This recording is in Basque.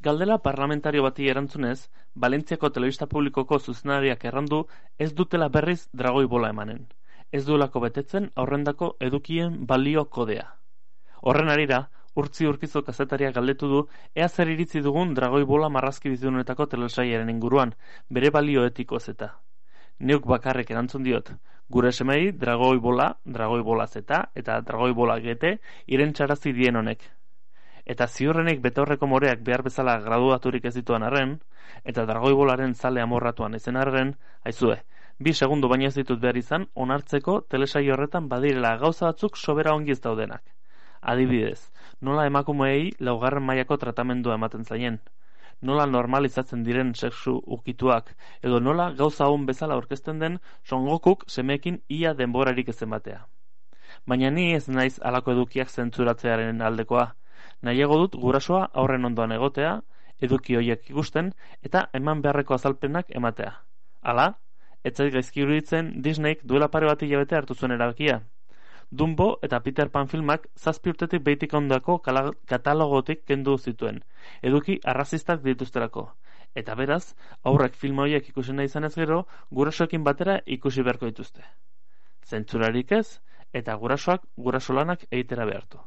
Galdera parlamentario bati erantzunez, Valentziako telebista publikoko zuzendariak errandu ez dutela berriz dragoi bola emanen. Ez duelako betetzen aurrendako edukien balio kodea. Horren harira, Urtzi Urkizo kazetariak galdetu du ea zer iritzi dugun dragoi bola marrazki bizidunetako telesailaren inguruan, bere balio etikoz eta. Neuk bakarrik erantzun diot, gure semei dragoi bola zeta eta dragoi bola GT irentxarazi dien honek. Eta ziurrenik betaurreko moreak behar bezala graduaturik ez dituan arren, eta dragoi bolaren zale amorratuan izen arren, aizue, 2 segundu baina ez ditut behar izan, onartzeko telesaio horretan badirela gauza batzuk sobera ongi ez daudenak. Adibidez, nola emakumeei 4. mailako tratamendua ematen zaien, nola normalizatzen diren sexu ukituak, edo nola gauza hon bezala aurkezten den Son Gokuk semeekin ia denborarik ezen batea. Baina ni ez naiz halako edukiak zentzuratzearen aldekoa, nahiago dut gurasoa aurren ondoan egotea, eduki horiek ikusten, eta eman beharreko azalpenak ematea. Hala, ez zait gaizki iruditzen Disneyk duela pare bat hilabete hartu zuen erabakia. Dumbo eta Peter Pan filmak 7 urtetik behitik ondako katalogotik kendu zituen, eduki arrazistak dituzterako. Eta beraz, aurrek film horiek ikusi nahi izanez gero, gurasoekin batera ikusi beharko dituzte. Zentzurarik ez, eta gurasoak gurasolanak egitera behartu.